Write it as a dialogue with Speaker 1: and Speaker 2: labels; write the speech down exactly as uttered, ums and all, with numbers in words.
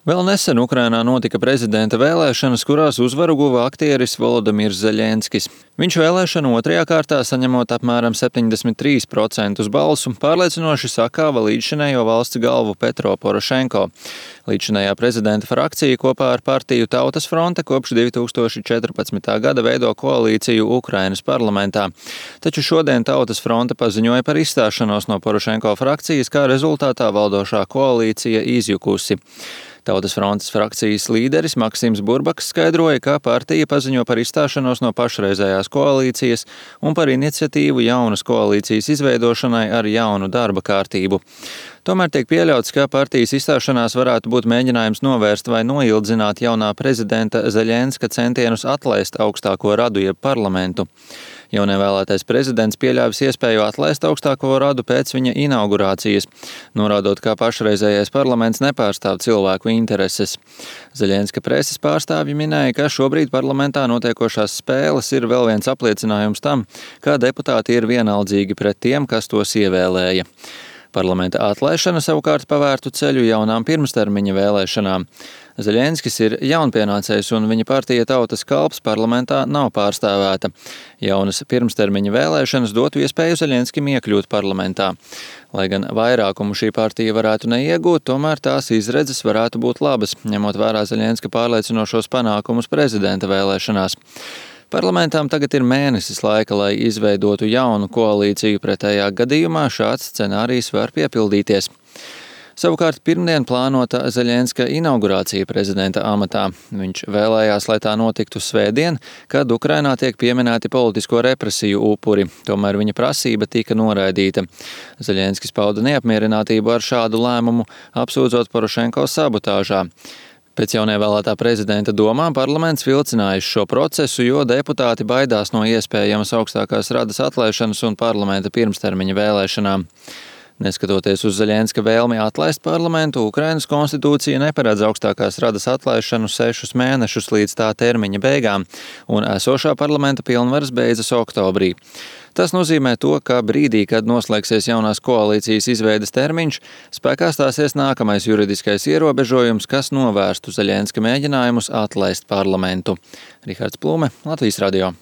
Speaker 1: Vēl nesen Ukrainā notika prezidenta vēlēšanas, kurās uzvaru guva aktieris Volodimirs Zeļenskis. Viņš vēlēšanu otrajā kārtā, saņemot apmēram septiņdesmit trīs procentus balsu, pārliecinoši sakāva līdzšinējo valsts galvu Petro Porošenko. Līdzšinējā prezidenta frakcija kopā ar partiju Tautas fronte kopš divi tūkstoši četrpadsmitā gada veido koalīciju Ukrainas parlamentā. Taču šodien Tautas fronte paziņoja par izstāšanos no Porošenko frakcijas, kā rezultātā valdošā koalīcija izjukusi. Tautas frontes frakcijas līderis Maksims Burbaks skaidroja, ka partija paziņo par izstāšanos no pašreizējās koalīcijas un par iniciatīvu jaunas koalīcijas izveidošanai ar jaunu darba kārtību. Tomēr tiek pieļauts, ka partijas izstāšanās varētu būt mēģinājums novērst vai noildzināt jaunā prezidenta Zeļenska centienus atlaist augstāko radu jeb parlamentu. Jaunievēlētais prezidents pieļāvis iespēju atlaist augstāko radu pēc viņa inaugurācijas, norādot, ka pašreizējais parlaments nepārstāv cilvēku intereses. Zeļenska preses pārstāvji minēja, ka šobrīd parlamentā notiekošās spēles ir vēl viens apliecinājums tam, ka deputāti ir vienaldzīgi pret tiem, kas tos ievēlēja. Parlamenta atlaišana savukārt pavērtu ceļu jaunām pirmstermiņa vēlēšanām. Zeļenskis ir jaunpienācējs un viņa partija Tautas kalps parlamentā nav pārstāvēta. Jaunas pirmstermiņa vēlēšanas dotu iespēju Zeļenskim iekļūt parlamentā. Lai gan vairākumu šī partija varētu neiegūt, tomēr tās izredzes varētu būt labas, ņemot vērā Zeļenska pārliecinošos panākumus prezidenta vēlēšanās. Parlamentām tagad ir mēnesis laika, lai izveidotu jaunu koalīciju, pretējā gadījumā šāds scenārijs var piepildīties. Savukārt pirmdien plānota Zeļenska inaugurācija prezidenta amatā. Viņš vēlējās, lai tā notiktu svētdien, kad Ukrainā tiek pieminēti politisko represiju upuri. Tomēr viņa prasība tika noraidīta. Zeļenskis pauda neapmierinātību ar šādu lēmumu, apsūdzot Porošenko sabotāžā. Pēc jaunievēlētā prezidenta domām parlaments vilcinājis šo procesu, jo deputāti baidās no iespējamas augstākās radas atlaišanas un parlamenta pirmstermiņa vēlēšanām. Neskatoties uz Zeļenska vēlmi atlaist parlamentu, Ukrainas konstitūcija neparedz augstākās radas atlaišanu sešus mēnešus līdz tā termiņa beigām, un esošā parlamenta pilnvaras beidzas oktobrī. Tas nozīmē to, ka brīdī, kad noslēgsies jaunās koalīcijas izveides termiņš, spēkā stāsies nākamais juridiskais ierobežojums, kas novērstu Zeļenska mēģinājumus atlaist parlamentu. Rihards Plume, Latvijas radio.